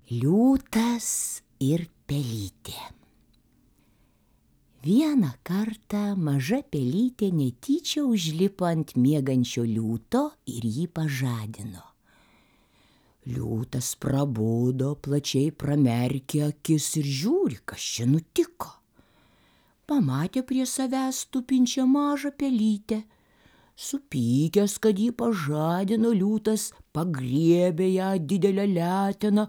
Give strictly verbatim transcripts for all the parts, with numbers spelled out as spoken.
Liūtas ir pelytė. Vieną kartą maža pelytė netyčia užlipo ant miegančio liūto ir jį pažadino. Liūtas prabudo, plačiai pramerkė akis ir žiūri, kas čia nutiko. Pamatė prie savęs tupinčią mažą pelytę. Supykęs, kad jį pažadino, liūtas pagriebė ją didelę leteną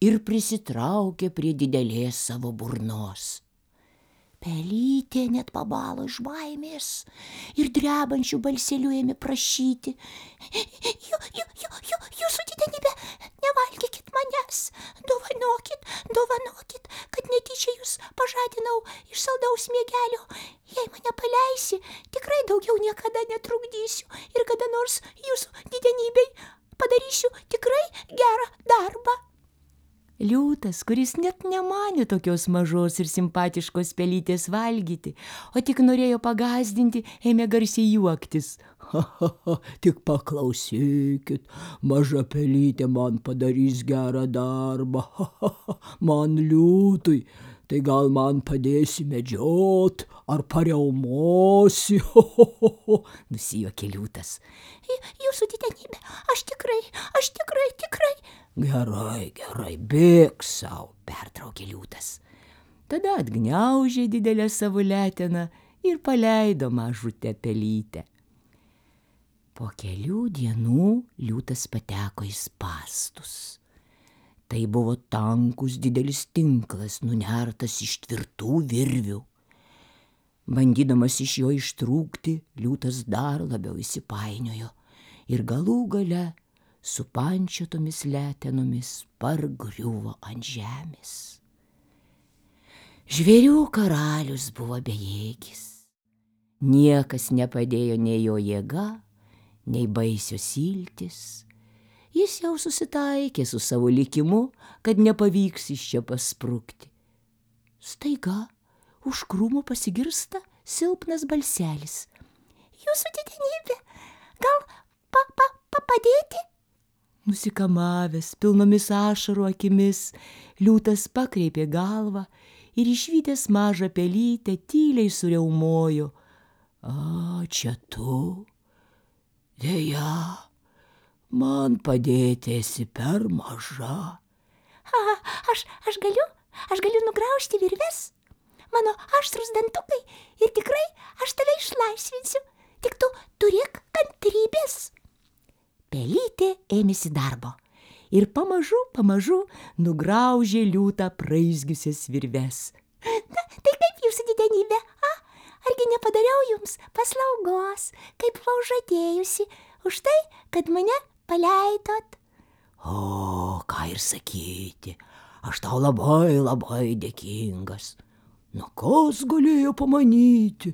ir prisitraukė prie didelės savo burnos. Pelytė net pabalo iš baimės ir drebančiu balseliu ėmė prašyti: Jū, jū, jū, jū, jūsų didenybe, nevalgykit manęs, dovanokit, dovanokit, kad netyčia jūs pažadinau iš saldaus miegelio. Jei mane paleisi, tikrai daugiau niekada netrukdysiu ir kada nors jūsų didenybei padarysiu tikrai gerą darbą. Liūtas, kuris net nemanė tokios mažos ir simpatiškos pelytės valgyti, o tik norėjo pagąsdinti, ėmė garsiai juoktis. Ha, ha, ha, tik paklausykit, maža pelytė man padarys gerą darbą. Ha, ha, ha, man liūtui, tai gal man padėsi medžiot ar pariaumosi. Ho, ho, ho, ho, nusijuokė liūtas. Jūsų didenybė, aš tikrai, aš tikrai, tikrai. Gerai, gerai, bėk sau, pertraukė liūtas. Tada atgniaužė didelę savo leteną ir paleido mažutę pelytę. Po kelių dienų liūtas pateko į spąstus. Tai buvo tankus didelis tinklas, nunertas iš tvirtų virvių. Bandydamas iš jo ištrūkti, liūtas dar labiau įsipainiojo ir galų gale su pančiotomis letenomis pargriuvo ant žemės. Žvėrių karalius buvo bejėgis. Niekas nepadėjo nei jo jėga, nei baisios iltys. Jis jau susitaikė su savo likimu, kad nepavyks iš čia pasprukti. Staiga už krūmų pasigirsta silpnas balselis. Jūsų didenybė, gal pa, pa, pa padėti? Nusikamavęs, pilnomis ašarų akimis, liūtas pakreipė galvą ir išvydęs mažą pelytę tyliai suriaumojo. A, čia tu? Deja, man padėti esi per maža. A, aš, aš galiu, aš galiu nugraužti virves. Mano aštrūs dantukai ir tikrai aš tave išlaisvinsiu. Tik tu turėk kantrybės. Pelytė ėmėsi darbo ir pamažu, pamažu nugraužė liūtą praizgiusias virves. Na, tai kaip jūsų didenybė, a? Argi nepadariau jums paslaugos, kaip buvau žadėjusi, už tai, kad mane paleidot? O, ką ir sakyti, aš tau labai, labai dėkingas. Na, kas galėjo pamanyti,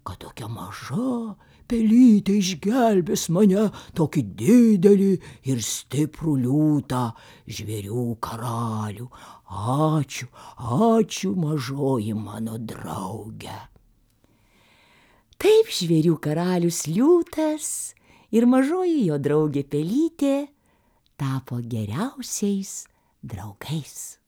kad tokia maža pelytė išgelbės mane, tokį didelį ir stiprų liūtą, žvėrių karalių. Ačiū, ačiū, mažoji mano drauge. Taip žvėrių karalius liūtas ir mažoji jo draugė pelytė tapo geriausiais draugais.